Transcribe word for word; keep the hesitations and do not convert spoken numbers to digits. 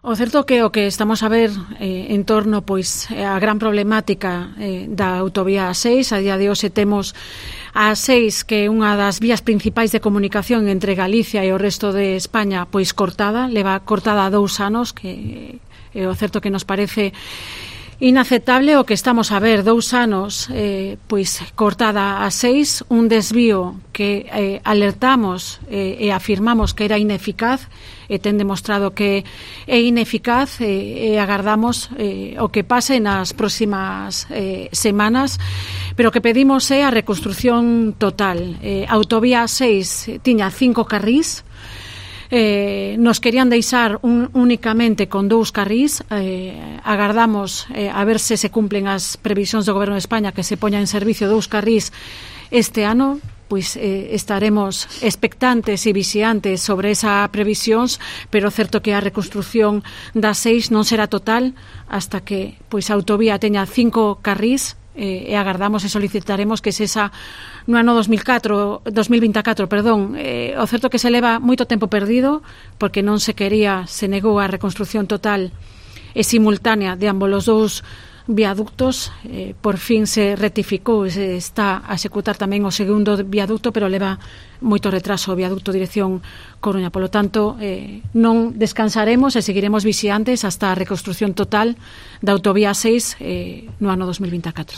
O certo que o que estamos a ver eh, en torno pois a gran problemática eh, da autovía A seis, a día de hoxe temos a A seis, que é unha das vías principais de comunicación entre Galicia e o resto de España, pois cortada, leva cortada dous anos, que é o certo que nos parece inaceptable o que estamos a ver, dous anos eh, pois cortada a seis, un desvío que eh, alertamos eh, e afirmamos que era ineficaz e ten demostrado que é ineficaz e, e agardamos eh, o que pase nas próximas eh, semanas, pero o que pedimos é a reconstrucción total. Eh, a autovía A seis tiña cinco carrís. Eh, nos querían deixar un, únicamente con dous carrís. eh, agardamos eh, a ver se se cumplen as previsións do Goberno de España que se poña en servicio dous carrís este ano, pois eh, estaremos expectantes e vixiantes sobre esa previsións, pero certo que a reconstrucción da seis non será total hasta que pois a autovía teña cinco carrís. Eh, e agardamos e solicitaremos que se esa no ano dos mil catro, dos mil vinte e catro, perdón, eh, o certo que se leva moito tempo perdido porque non se quería, se negou a reconstrucción total e simultánea de ambos os dous viaductos. Eh, por fin se rectificou e se está a executar tamén o segundo viaducto, pero leva moito retraso o viaducto dirección Coruña. Polo tanto, eh, non descansaremos e seguiremos vixiantes hasta a reconstrucción total da autovía seis eh, no ano dos mil vinte e catro.